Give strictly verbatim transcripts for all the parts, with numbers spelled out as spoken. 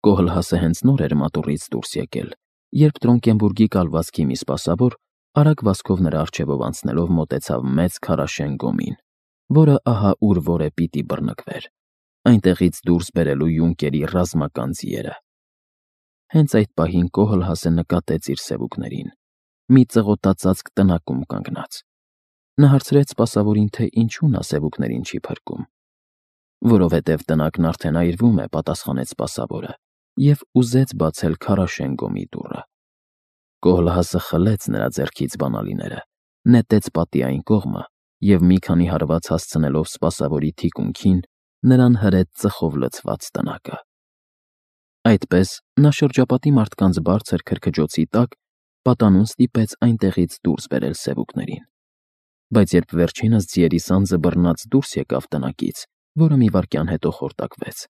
Կոհլհասը հենց նոր էր մատուռից դուրս եկել, երբ Տրոնկենբուրգի կալվածքի մի սպասավոր արագ վազքով նրա առջևով անցնելով մոտեցավ մեծ քարաշեն գոմին, որը ահա ուր որ է պիտի բռնկվեր, այնտեղից դուրս բերելու յունկերի ռազմական ձիերը։ Հենց այդ պահին Կոհլհասը նկատեց իր սևուկներին, մի ծղոտածածկ տնակում կանգնած։ Նա հարցրեց սպասավորին, թե ինչու նա սևուկներին չի փրկում։ Որովհետև տնակն արդեն այրվում է, պատասխանեց սպասավորը, և ուզեց բացել քարաշեն գոմի դուռը։ Կոհլհասը խլեց նրա ձեռքից բանալիները, նետեց պատի այն կողմը և մի քանի հարված հասցնելով սպասավորի թիկունքին, նրան հրեց ծխով լցված տնակը։ Այդպես նա շրջապատի մարդկանց բարձր քրքջոցի տակ պատանուն ստիպեց այնտեղից դուրս բերել սևուկներին։ Բայց երբ վերջինս ձիերի սանձը բռնած դուրս եկավ տնակից, որը մի վայրկյան հետո խորտակվեց,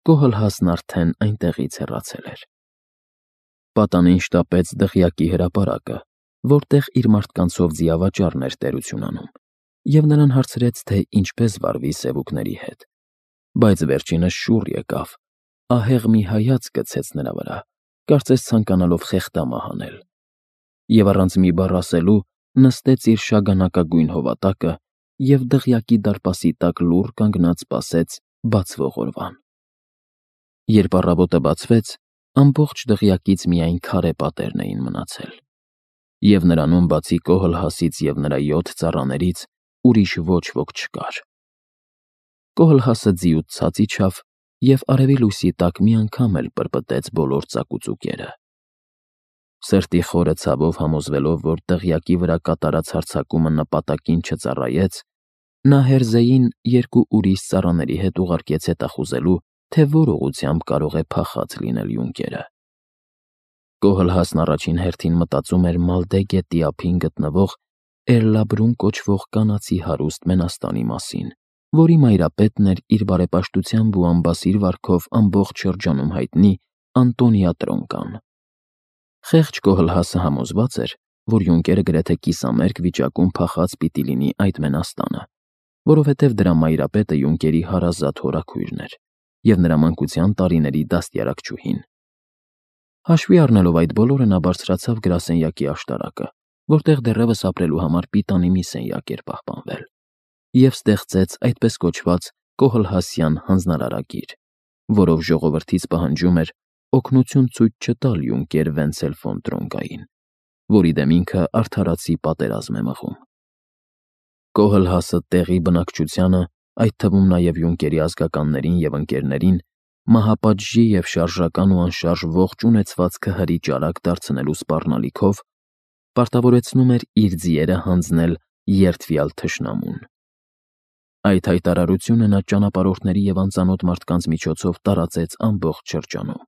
Կոհլհասն արդեն այնտեղից հեռացել էր։ Պատանին շտապեց դղյակի հրապարակը, որտեղ իր մարդկանցով ձիավաճառն էր տերություն անում, և նրան հարցրեց, թե ինչպես վարվի սևուկների հետ։ Բայց վերջինս շուռ եկավ, ահեղ մի հայացք գցեց նրա վրա, կարծես ցանկանալով խեղդամահ անել, և առանց մի բառ ասելու նստեց իր շագանակագույն հովատակը և դղյակի դարպասի տակ լուռ կանգնած սպասեց բացվող օրվան։ Երբ առավոտը բացվեց, ամբողջ դղյակից միայն քարե պատերն էին մնացել, և նրանում բացի Կոհլհասից և նրա յոթ ծառաներից ուրիշ ոչ ոք չկար։ Կոհլհասը ձիուց ցած իջավ և արևի լույսի տակ մի անգամ էլ պրպտեց բոլոր ծակուծուկերը։ Սրտի խորը ցավով համոզվելով, որ դղյակի վրա կատարած հարձակումը նպատակին չծառայեց, նա հերզեին երկու ուրիշ ծառաների հետ ուղարկեց հետախուզելու, թե որ ուղղությամբ կարող է փախած լինել յունկերը։ Կոհլհասն առաջին հերթին մտածում էր Մալդե գետի ափին գտնվող Էրլաբրուն կոչվող կանացի հարուստ մենաստանի մասին, որի մայրապետն էր իր բարեպաշտությամբ ու անբասիր վարքով ամբողջ շրջանում հայտնի Անտոնիա Տրոնկան։ Խեղճ Կոհլհասը համոզված էր, որ յունկերը գրեթե կիսամերկ վիճակում փախած պիտի լինի այդ մենաստանը, որովհետև դրա մայրապետը յունկերի հարազատ հորաքույրն էր և նրա մանկության տարիների դաստիարակչուհին։ Հաշվի առնելով այդ բոլորը, նա բարձրացավ գրասենյակի աշտարակը, որտեղ դեռևս ապրելու համար պիտանի մի սենյակ էր պահպանվել, և ստեղծեց այդպես կոչված Կոհլհասյան հանձնարարագիր, որով ժողովրդից պահանջում էր օգնություն ցույց չտալ յունկեր Վենցել ֆոն Տրոնկային, որի դեմ ինքը արդարացի պատերազմ է մղում։ Կոհլհասը տեղի բնակչությանը, այդ թվում նաև յունկերի ազգականներին և ընկերներին, մահապատժի և շարժական ու անշարժ ողջ ունեցվածքը հրի ճարակ դարձնելու սպառնալիքով պարտավորեցնում էր իր ձիերը հանձնել երդվյալ թշնամուն։ Այդ հայտարարությունը նա ճանապարհորդների և անծանոթ մարդկանց միջոցով տարածեց ամբողջ շրջանում,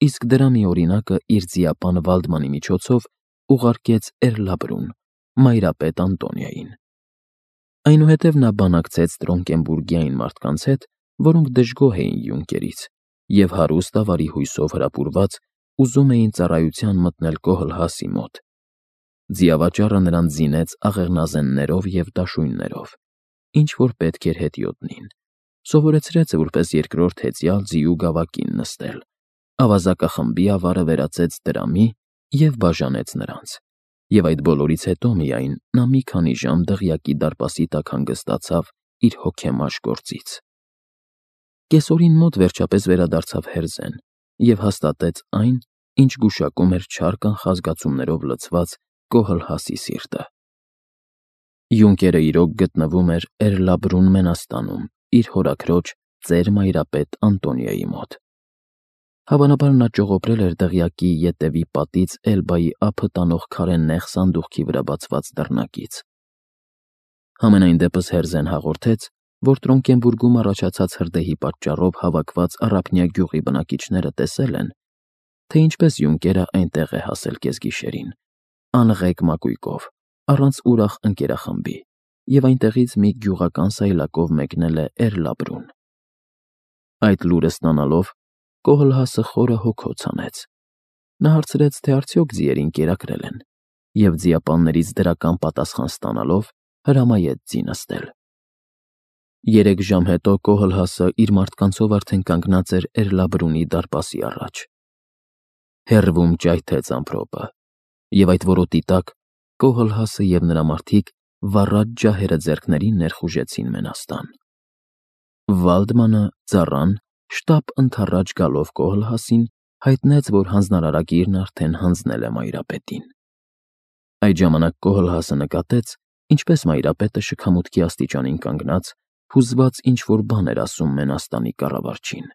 իսկ դրա մի օրինակը իր ձիապան Վալդմանի միջոցով ուղարկեց Էրլաբրուն, մայրապետ Անտոնիային։ Այնուհետև նա բանակցեց Տրոնկենբուրգի այն մարդկանց հետ, որոնք դժգոհ էին յունկերից և հարուստ ավարի հույսով հրապուրված ուզում էին ծառայության մտնել Կոհլհասի մոտ։ Ձիավաճառը նրան զինեց աղեղնազեններով և դաշույններով, ինչ որ պետք էր հետիոտնին, սովորեցրեց որպես երկրորդ հեծյալ ձիու գավակին նստել, ավազակախմբի ավարը վերածեց դրամի և բաժանեց նրանց, և այդ բոլորից հետո միայն նա մի քանի ժամ դղյակի դարպասի տակ հանգստացավ իր հոգեմաշ գործից։ Կեսօրին մոտ վերջապես վերադարձավ հերզեն և հաստատեց այն, ինչ գուշակում էր չար կանխազգացումներով լցված Կոհլհասի սիրտը։ Յունկերը իրոք գտնվում էր Էրլաբրուն մենաստանում իր հորաքրոջ ծեր մայրապետ Անտոնիայի մոտ։ Հավանաբար նա ճողոպրել էր դղյակի ետևի պատից Էլբայի ափը տանող քարե նեղ սանդուղքի վրա բացված դռնակից։ Համենայն դեպս Հերզեն հաղորդեց, որ Տրոնկենբուրգում առաջացած հրդեհի պատճառով հավաքված առափնյա գյուղի բնակիչները տեսել են, թե ինչպես յունկերը այնտեղ է հասել կեսգիշերին, անղեկ մակույկով, առանց ուրախ ընկերախմբի, և այնտեղից մի գյուղական սայլակով մեկնել է Էրլաբրուն։ Այդ լուրը ստանալով Կոհլհասը խորը հոգոց հանեց։ Նա հարցրեց, թե արդյոք ձիերին կերակրել են, և ձիապաններից դրական պատասխան ստանալով հրամայեց ձի նստել։ Երեք ժամ հետո Կոհլհասը իր մարդկանցով արդեն կանգնած էր Էրլաբրունի դարպասի առաջ։ Հեռվում ճայթեց ամպրոպը, և այդ որոտի տակ Կոհլհասը և նրա մարդիկ վառած ջահերը ձեռքներին ներխուժեցին Մենաստան։ Վալդմանը, ծառան, շտապ ընդառաջ գալով Կոհլհասին, հայտնեց, որ հանձնարարագիրն արդեն հանձնել է Մայրապետին։ Այդ ժամանակ Կոհլհասը նկատեց, ինչպես Մայրապետը շքամուտքի աստիճանին կանգնած, հուզված ինչ-որ բան էր ասում Մենաստանի կառավարչին։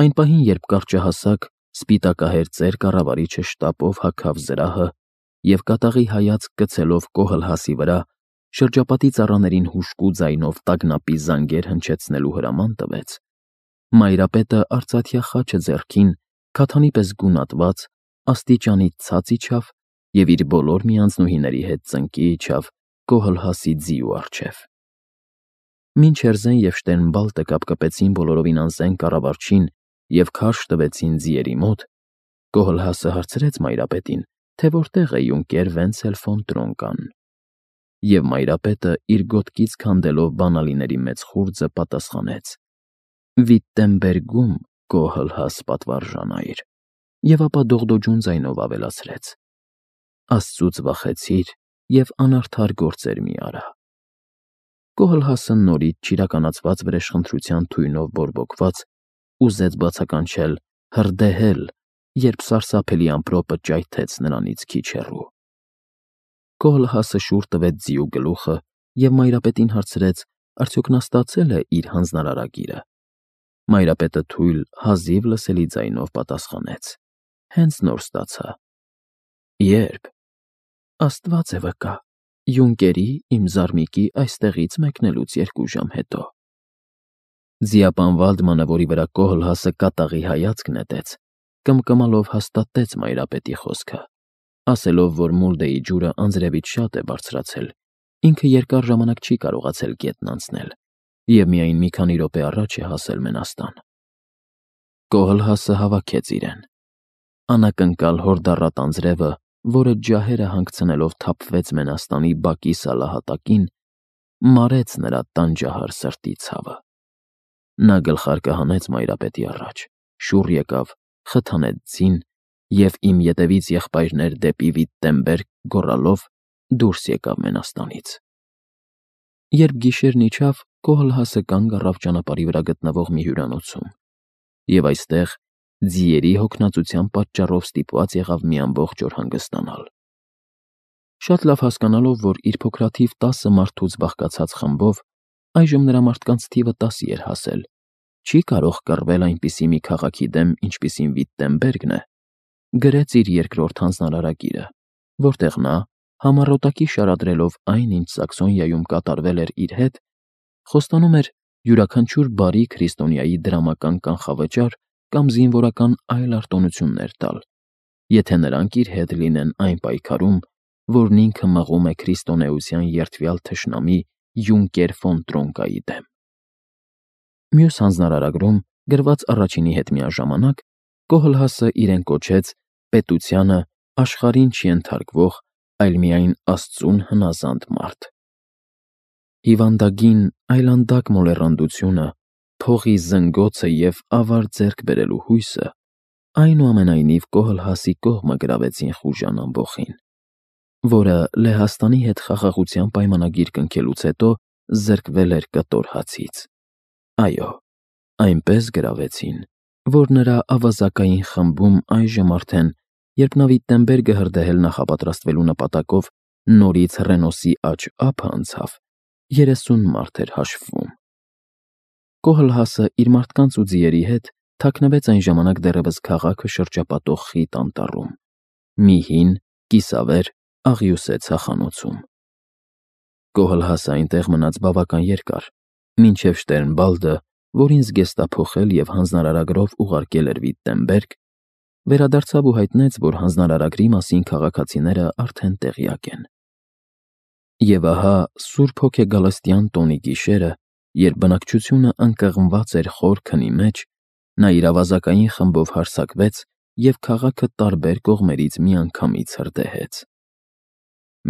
Այն պահին, երբ կարճահասակ, սպիտակահեր ծեր կառավարիչը շտապով հագավ զրահը և կատաղի հայացք գցելով Կոհլհասի վրա, շրջապատի ծառաներին հուժկու ձայնով տագնապի զանգեր հնչեցնելու հրաման տվեց, Մայրապետը արծաթյա խաչը ձեռքին, քաթանի պես գունատված, աստիճանից ցած իջավ և իր բոլոր միանձնուհիների հետ ծնկի իջավ Կոհլհասի ձիու առջև։ Մինչ Հերզեն և Շտերնբալտը կապկպեցին բոլորովին անզեն կառավարչին և քարշ տվեցին ձիերի մոտ, Կոհլհասը հարցրեց Մայրապետին, թե որտեղ է յունկեր Վենցել ֆոն Տրոնկան, և Մայրապետը իր գոտկից քանդելով բանալիների մեծ խուրձը պատասխանեց. «Վիտտենբերգում, Կոհլհաս պատվարժանայր», և ապա դողդոջուն ձայնով ավելացրեց. «Աստծուց վախեցիր և անարդար գործեր մի արա»։ Կոհլհասը նորից չիրականացված վրեժխնդրության թույնով բորբոքված, ուզեց բացականչել «հրդեհել», երբ սարսափելի ամպրոպը ճայթեց նրանից քիչ հեռու։ Կոհլհասը շուռ տվեց ձիու գլուխը և Մայրապետին հարցրեց, արդյոք նա ստացե՞լ է իր հանձնարարագիրը։ Մայրապետը թույլ, հազիվ լսելի ձայնով պատասխանեց. «Հենց նոր ստացա»։ «Ե՞րբ»։ «Աստված է վկա, յունկերի, իմ զարմիկի, այստեղից մեկնելուց երկու ժամ հետո»։ Ձիապան Վալդմանը, որի վրա Կոհլհասը կատաղի հայացք նետեց, կմկմալով հաստատեց Մայրապետի խոսքը, ասելով, որ Մուլդեի ջուրը անձրևից շատ է բարձրացել, ինքը երկար ժամանակ չի կարողացել գետն անցնել և միայն մի քանի րոպե առաջ է հասել Մենաստան։ Կոհլհասը հավաքեց իրեն։ Անակնկալ հորդառատ անձրևը, որը ջահերը հանգցնելով թափվեց Մենաստանի բակի սալահատակին, մարեց նրա տանջահար սրտի ցավը։ Նա գլխարկը հանեց Մայրապետի առաջ, շուռ եկավ, խթանեց ձին և «Իմ ետևից եղբայրներ դեպի Վիտտենբերգ» գոռալով դուրս եկավ Մենաստանից։ Երբ գիշերն իջավ, Կոհլհասը կանգ առավ ճանապարհի վրա գտնվող մի հյուրանոցում և այստեղ ձիերի հոգնածության պատճառով ստիպված եղավ մի ամբողջ օր հանգստանալ։ Շատ լավ հասկանալով, որ իր փոքրաթիվ տասը մարդուց բաղկացած խմբով այժմ նրա մարդկանց թիվը տասի էր հասել, չի կարող կռվել այնպիսի մի քաղաքի դեմ, ինչպիսին Վիտտենբերգն է, գրեց իր երկրորդ հանձնարարագիրը, որտեղ նա, համառոտակի շարադրելով այն, ինչ Սաքսոնիայում կատարվել էր իր հետ, խոստանում էր յուրաքանչյուր բարի քրիստոնյայի դրամական կանխավճար կամ զինվորական այլ արտոնություններ տալ, եթե նրանք իր հետ լինեն այն պայքարում, որն ինքը մղում է քրիստոնեության երդվյալ թշնամի յունկեր ֆոն Տրոնկայի դեմ։ Մյուս հանձնարարագրում, գրված առաջինի հետ միաժամանակ, Կոհլհասը իրեն կոչեց պետությանը աշխարհին չենթարկվող, այլ միայն Աստծուն հնազանդ մարդ։ Հիվանդագին, այլանդակ մոլեռանդությունը, փողի զնգոցը և ավար ձեռք բերելու հույսը այնուամենայնիվ Կոհլհասի կողմը գրավեցին խուժան ամբոխին, որը Լեհաստանի հետ խաղաղության պայմանագիր կնքելուց հետո զրկվել էր կտոր հացից։ Այո, այնպես գրավեցին, որ նրա ավազակային խմբում այժմ արդեն, երբ նա Վիտտենբերգը հրդեհել նախապատրաստվելու նպատակով նորից Ռենոսի աջ ափը անցավ, երեսուն մարդ էր հաշվվում։ Կոհլհասը իր մարդկանց ու ձիերի հետ թաքնվեց այն ժամանակ դեռևս քաղաքը շրջապատող խիտ անտառում, մի հին, կիսավեր, աղյուսե ցախանոցում։ Կոհլհասը այնտեղ մնաց բավական երկար, մինչև Շտերնբալդը, որին զգեստափոխել և հանձնարարագրով ուղարկել էր Վիտտենբերգ, վերադարձավ ու հայտնեց, որ հանձնարարագրի մասին քաղաքացիները արդեն տեղյակ են։ Եվ ահա Սուրբ Հոգեգալստյան տոնի գիշերը, երբ բնակչությունը ընկղմված էր խոր քնի մեջ, նա իր ավազակային խմբով հարձակվեց և քաղաքը տարբեր կողմերից միանգամից հրդեհեց։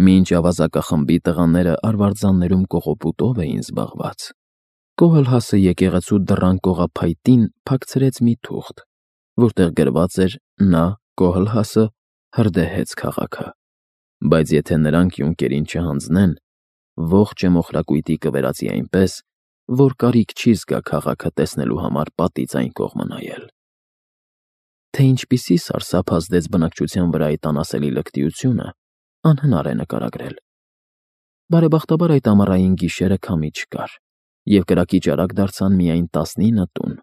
Մինչ ավազակախմբի տղաները արվարձաններում կողոպուտով էին զբաղված, Կոհլհասը եկեղեցու դռան կողափայտին փակցրեց մի թուղթ, որտեղ գրված էր «Նա, Կոհլհասը, հրդեհեց քաղաքը, բայց եթե նրանք յունկերին չհանձնեն, ողջ մոխրակույտի կվերածի այնպես, որ կարիք չի զգա քաղաքը տեսնելու համար պատից այն կողմը նայել»։ Թե ինչպիսի սարսափ ազդեց բնակչության վրա այդ անասելի լկտիությունը, անհնար է նկարագրել։ Բարեբախտաբար այդ ամառային գիշերը քամի չկար, և կրակի ճարակ դարձան միայն տասնինը տուն,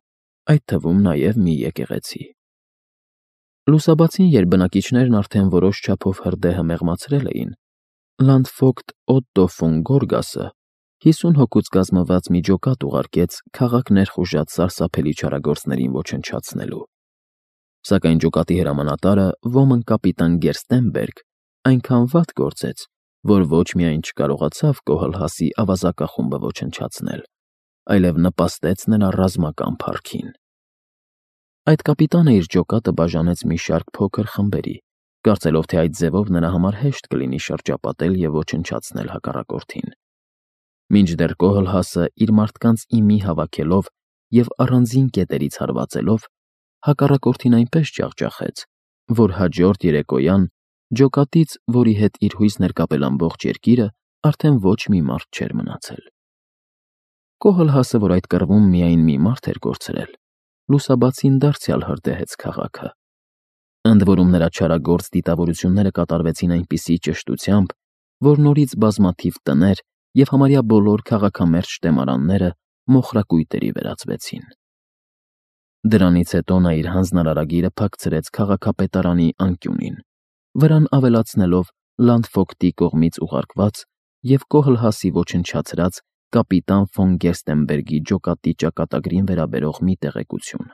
այդ թվում նաև մի եկեղեցի։ Լուսաբացին, երբ բնակիչներն արդեն որոշ չափով հրդեհը մեղմացրել էին, լանդֆոգտ Օտտո ֆոն Գորգասը հիսուն հոգուց կազմված մի ջոկատ ուղարկեց քաղաք ներխուժած սարսափելի չարագործներին ոչնչացնելու։ Սակայն ջոկատի հրամանատարը ոմն կապիտան Գերստենբերգ այնքան վատ գործեց, որ ոչ միայն չկարողացավ Կոհլհասի ավազակախումբը ոչնչացնել, այլև նպաստեց նրա ռազմական փառքին։ Այդ կապիտանը իր ջոկատը բաժանեց մի շարք փոքր խմբերի, կարծելով, թե այդ ձևով նրա համար հեշտ կլինի շրջապատել և ոչնչացնել հակառակորդին։ Մինչդեռ Կոհլհասը իր մարդկանց ի մի հավաքելով և առանձին կետերից հարվածելով, հակառակորդին այնպես ջախջախեց, որ հաջորդ երեկոյան ջոկատից, որի հետ իր հույսն էր կապել ամբողջ երկիրը, արդեն ոչ մի մարդ չէր մնացել։ Կոհլհասը, որ այդ կռվում միայն մի մարդ էր կորցրել, լուսաբացին դարձյալ հրդեհեց քաղաքը։ Ընդ որում նրա չարագործ դիտավորությունները կատարվեցին այնպիսի ճշտությամբ, որ նորից բազմաթիվ տներ և համարյա բոլոր քաղաքամերձ շտեմարանները մոխրակույտերի վերածվեցին։ Դրանից հետո նա իր հանձնարարագիրը փակցրեց քաղաքապետարանի անկյունին, վրան ավելացնելով լանդֆոգտի կողմից ուղարկված և Կոհլհասի ոչնչացրած կապիտան ֆոն Գերստենբերգի ջոկատի ճակատագրին վերաբերող մի տեղեկություն։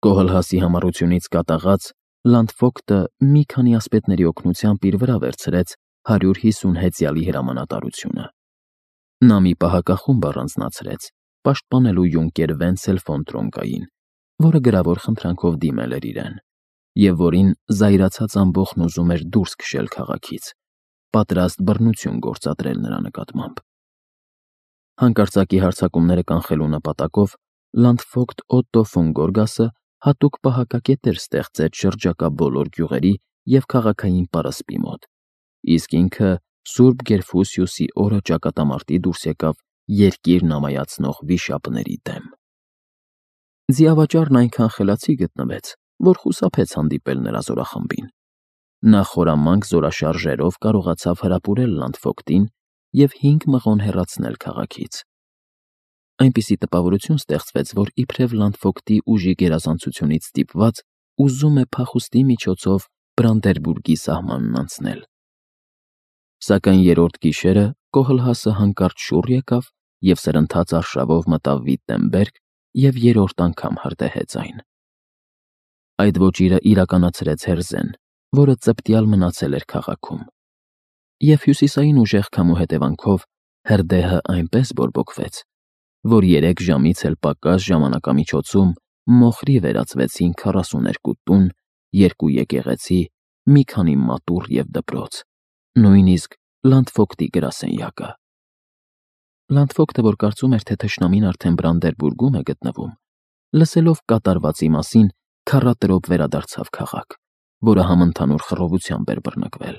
Կոհլհասի համառությունից կատաղած լանդֆոգտը մի քանի ասպետների օգնությամբ իր վրա վերցրեց հարյուր հիսուն հեծյալի հրամանատարությունը։ Նա մի պահակախումբ առանձնացրեց, պաշտպանելու յունկեր Վենցել ֆոն Տրոնկային, որը գրավոր խնդրանքով դիմել էր իրեն, և որին զայրացած ամբոխն ուզում էր դուրս քշել քաղաքից, պատրաստ բռնություն գործադրել նրա նկատմամբ։ Հանկարծակի հարձակումները կանխելու նպատակով լանդֆոգտ Օտտո ֆոն Գորգասը հատուկ պահակակետեր ստեղծեց շրջակա բոլոր գյուղերի և քաղաքային պարսպի մոտ, իսկ ինքը Սուրբ Գերֆուսիուսի օրը ճակատամարտի դուրս եկավ երկիրն ամայացնող վիշապների դեմ։ Ձիավաճառն այնքան խելացի գտնվեց, որ խուսափեց հանդիպել նրա զորախմբին։ Նա խորամանկ զորաշարժերով կարողացավ հրապուրել լանդֆոգտին և հինգ մղոն հեռացնել քաղաքից։ Այնպիսի տպավորություն ստեղծվեց, որ իբրև լանդֆոգտի ուժի գերազանցությունից ստիպված ուզում է փախուստի միջոցով Բրանդերբուրգի սահմանն անցնել։ Սակայն երրորդ գիշերը Կոհլհասը հանկարծ շուռ եկավ և սրընթաց արշավով մտավ Վիտտենբերգ և երրորդ անգամ հրդեհեց այն։ Այդ ոճիրը իրականացրեց Հերզեն, որը ծպտյալ մնացել էր քաղաքում։ Եվ հյուսիսային ուժեղ քամու հետևանքով հրդեհը այնպես բորբոքվեց, որ երեք ժամից էլ պակաս ժամանակամիջոցում մոխրի վերածվեցին քառասուներկու տուն, երկու եկեղեցի, մի քանի մատուռ և դպրոց, նույնիսկ լանդֆոգտի գրասենյակը։ Լանդֆոգտը, որ կարծում էր, թե թշնամին արդեն Բրանդերբուրգում է գտնվում, լսելով կատարվածի մասին, քառատրոպ վերադարձավ քաղաք, որը համընդհանուր խռովությամբ էր բռնկվել։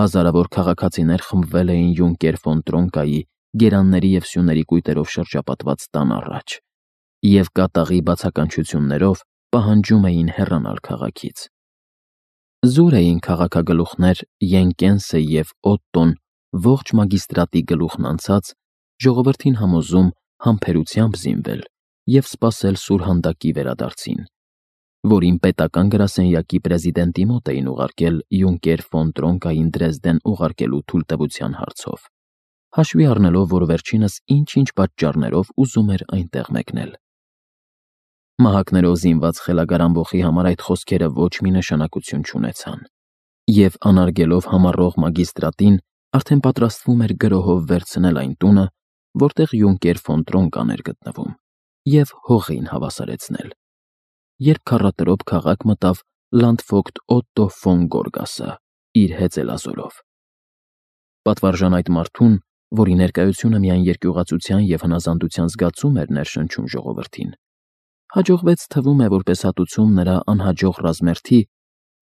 Հազարավոր քաղաքացիներ խմբվել էին յունկեր ֆոն Տրոնկայի գերանների և սյուների կույտերով շրջապատված տան առաջ և կատաղի բացականչություններով պահանջում էին հեռանալ քաղաքից։ Զուր էին քաղաքագլուխներ Յենկենսը և Օտտոն ողջ մագիստրատի գլուխն անցած, ժողովրդին համոզում համբերությամբ զինվել և սպասել սուրհանդակի վերադարձին, որին պետական գրասենյակի պրեզիդենտի մոտ էին ուղարկել յունկեր ֆոն Տրոնկային Դրեզդեն ուղարկելու թույլտվության հարցով, հաշվի առնելով, որ վերջինս ինչ-ինչ պատճառներով ուզում էր այնտեղ մեկնել։ Մահակներով զինված խելագար ամբոխի համար այդ խոսքերը ոչ մի նշանակություն չունեցան, և անարգելով համառող մագիստրատին, արդեն պատրաստվում էր գրոհով վերցնել այն տունը, որտեղ յունկեր ֆոն Տրոնկան էր գտնվում, և հողին հավասարեցնել, երբ քառատրոպ քաղաք մտավ լանդֆոգտ Օտտո ֆոն Գորգասը իր հեծելազորով։ Պատվարժան այդ մարդուն, որի ներկայությունը միայն երկյուղացության և հնազանդության զգացում էր ներշնչում ժողովրդին, հաջողվեց թվում է որպես հատուցում նրա անհաջող ռազմերթի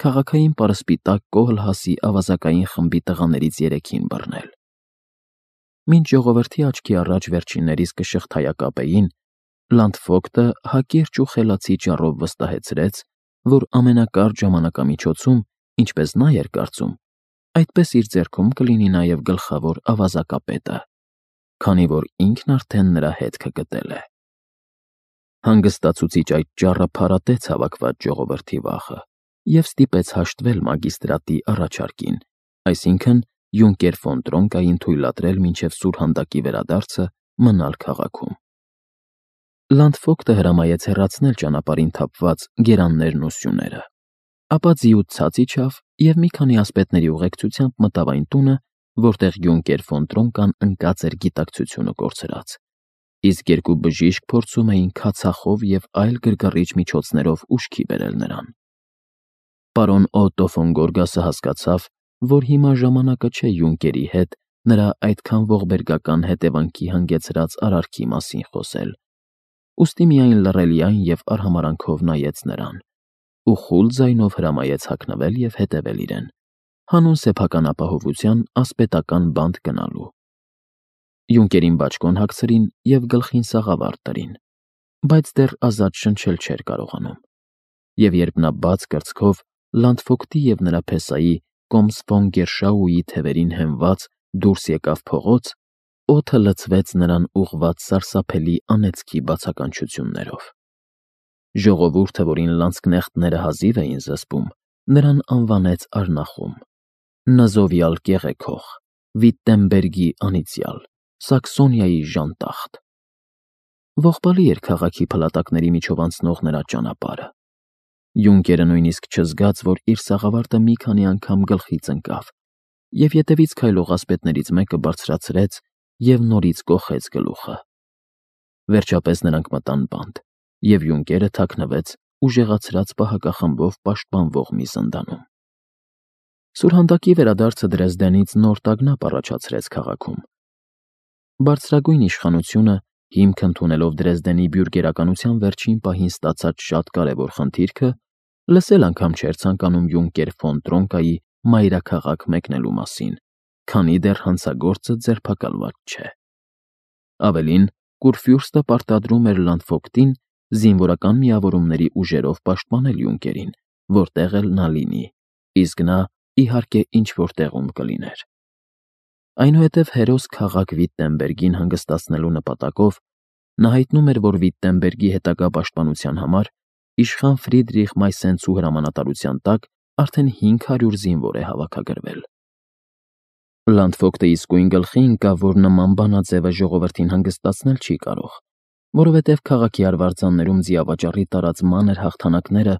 քաղաքային պարսպիտակ Կոհլհասի ավազակային խմբի տղաներից երեքին բռնել։ Մինչ ժողովրդի աչքի առաջ վերջիններիս կշղթայակապեին, Լանդֆոկտը հակիրճ ու խելացի ճառով վստահեցրեց, որ ամենակարճ ժամանակամիջոցում, ինչպես նա էր կարծում, այդպես իր ձեռքում կլինի նաև գլխավոր ավազակապետը, քանի որ ինքն արդեն նրա հետքը գտել է։ Հանգստացուցիչ այդ ճառը փարատեց հավաքված ժողովրդի վախը և ստիպեց հաշտվել մագիստրատի առաջարկին, այսինքն Յունկեր ֆոն Տրոնկային թույլատրել մինչև սուրհանդակի վերադարձը մնալ քաղաքում։ Լանդֆոկտը հրամայեց հեռացնել ճանապարհին թափված գերաններն ու սյուները, ապա ձիուց ցած իջավ և մի քանի ասպետների ուղեկցությամբ մտավ այն տունը, որտեղ Յունկեր ֆոն Տրոնկան ընկած էր գիտակցությունը կորցրած, իսկ երկու բժիշկ փորձում էին քացախով և այլ գրգռիչ միջոցներով ուշքի բերել նրան։ Պարոն Օտո ֆոն Գորգասը հասկացավ, որ հիմա ժամանակը չէ Յունկերի հետ նրա այդքան ողբերգական հետևանքի հանգեցրած արարքի մասին խոսել, ուստի միայն լռելիայն և արհամարհանքով նայեց նրան ու խուլ ձայնով հրամայեց հագնվել և հետևել իրեն, հանուն սեփական ապահովության ասպետական բանտ գնալու։ Յունկերին բաճկոն հագցրին և գլխին սաղավարտ դրին, բայց դեռ ազատ շնչել չէր կարողանում, և երբ նա բաց կրծքով Լանդֆոկտի և նրա փեսայի Կոմս ֆոն Գերշաուի թևերին հենված դուրս եկավ փողոց, օդը լցվեց նրան ուղղված սարսափելի անեծքի բացականչություններով։ Ժողովուրդը, որին լանցկնեխտները հազիվ էին զսպում, նրան անվանեց Արնախում, Նազովյալ կեղեքող, Վիտտենբերգի անիծյալ, Սաքսոնիայի ժանտախտ։ Ողբալի էր քաղաքի փլատակների միջով անցնող նրա ճանապարհը։ Յունկերը նույնիսկ չզգաց, որ իր սաղավարտը մի քանի անգամ գլխից ընկավ, և ետևից քայլող ասպետներից մեկը բարձրացրեց և նորից կոխեց գլուխը։ Վերջապես նրանք մտան բանտ, և Յունկերը թաքնվեց ուժեղացրած պահակախմբով պաշտպանվող մի զնդանում։ Սուրհանդակի վերադարձը Դրեզդենից նոր տագնապ առաջացրեց քաղաքում։ Բարձրագույն իշխանությունը, հիմք ընդունելով Դրեզդենի բյուրգերականության վերջին պահին ստացած շատ կարևոր խնդիրքը, լսել անգամ չէր ցանկանում Յունկեր ֆոն Տրոնկայի մայրաքաղաք մեկնելու մասին, քանի դեռ հանցագործը ձերբակալված չէ։ Ավելին, Կուրֆյուրստը պարտադրում էր Լանդֆոկտին զինվորական միավորումների ուժերով պաշտպանել Յունկերին, որտեղ էլ նա լինի, իսկ նա, իհարկե, ինչ-որ տեղում կլիներ։ Այնուհետև հերոս քաղաք Վիտտենբերգին հանգստացնելու նպատակով նա հայտնում էր, որ Վիտտենբերգի հետագա պաշտպանության համար իշխան Ֆրիդրիխ Մայսենցու հրամանատարության տակ արդեն հինգ հարյուր զինվոր է հավաքագրվել։ Լանդֆոկտը իսկույն գլխի ընկավ, որ նման բանաձևը ժողովրդին հանգստացնել չի կարող, որովհետև քաղաքի արվարձաններում ձիավաճառի տարած մանր հաղթանակները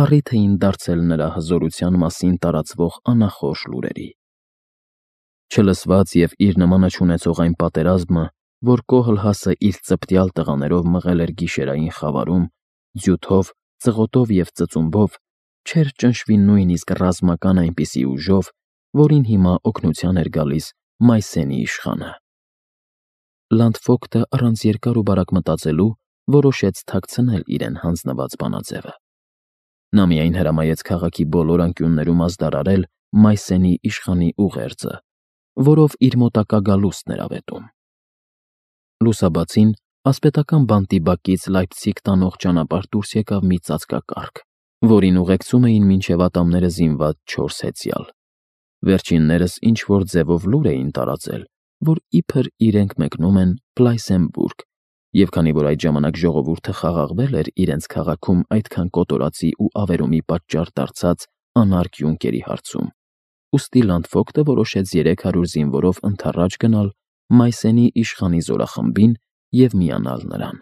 առիթ էին դարձել նրա հզորության մասին տարածվող անախորժ լուրերի։ Չլսված և իր նմանը չունեցող այն պատերազմը, որ Կոհլհասը իր ծպտյալ տղաներով մղել էր գիշերային խավարում, ձյութով, ծղոտով և ծծումբով, չէր ճնշվի նույնիսկ ռազմական այնպիսի ուժով, որին հիմա օգնության էր գալիս Մայսենի իշխանը։ Լանդֆոկտը առանց երկար ու բարակ մտածելու որոշեց թաքցնել իրեն հանձնված բանաձևը։ Նա միայն հրամայեց քաղաքի բոլոր անկյուններում ազդարարել Մայսենի իշխանի ուղերձը, որով իր մոտակա գալուստն էր ավետում։ Լուսաբացին ասպետական բանտի բակից Լայպցիգ տանող ճանապարհ դուրս եկավ մի ծածկակառք, որին ուղեկցում էին մինչև ատամները զինված չորս հեծյալ։ Վերջիններս ինչ-որ ձևով լուր էին տարածել, որ իբր իրենք մեկնում են Պլայսենբուրգ, և քանի որ այդ ժամանակ ժողովուրդը խաղաղվել էր իրենց քաղաքում այդքան կոտորածի ու ավերումի պատճառ դարձած անարգ Յունկերի հարցում, ուստի Լանդֆոկտը որոշեց երեք հարյուր զինվորով ընդառաջ գնալ Մայսենի իշխանի զորախմբին և միանալ նրան։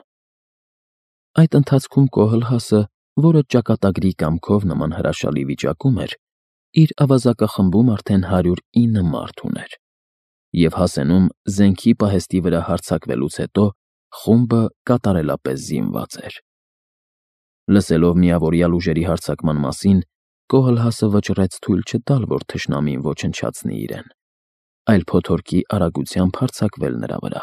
Այդ ընթացքում Կոհլհասը, որը ճակատագրի կամքով նման հրաշալի վիճակում էր, իր ավազակախմբում արդեն հարյուր ինը մարդ ուներ, և հասենում զենքի պահեստի վրա հարձակվելուց հետո խումբը կատարելապես զինված էր։ Լսելով միավորյալ ուժերի հարձակման մասին, Կոհլհասը վճռեց թույլ չտալ, որ թշնամին ոչնչացնի իրեն, այլ փոթորկի արագությամբ հարձակվել նրա վրա։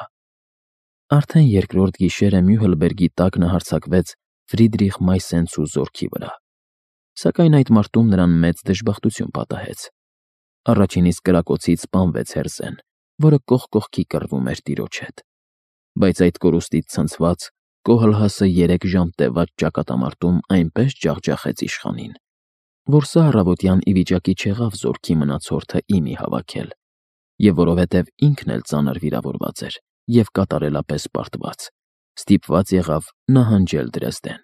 Արդեն երկրորդ գիշերը Մյուհլբերգի տակն հարձակվեց Ֆրիդրիխ Մայսենցու զորքի վրա, սակայն այդ մարտում նրան մեծ դժբախտություն պատահեց։ Առաջինից կրակոցից սպանվեց Հերզեն, որը կողք կողքի կռվում էր տիրոջ հետ, բայց այդ կորուստից ցնցված Կոհլհասը երեք ժամ տևած ճակատամարտում այնպես ջախջախեց իշխանին, որ սա առավոտյան ի վիճակի չեղավ զորքի մնացորդը իմի հավաքել, և որովհետև ինքն էլ ծանր վիրավորված էր և կատարելապես պարտված, ստիպված եղավ նահանջել Դրեզդեն։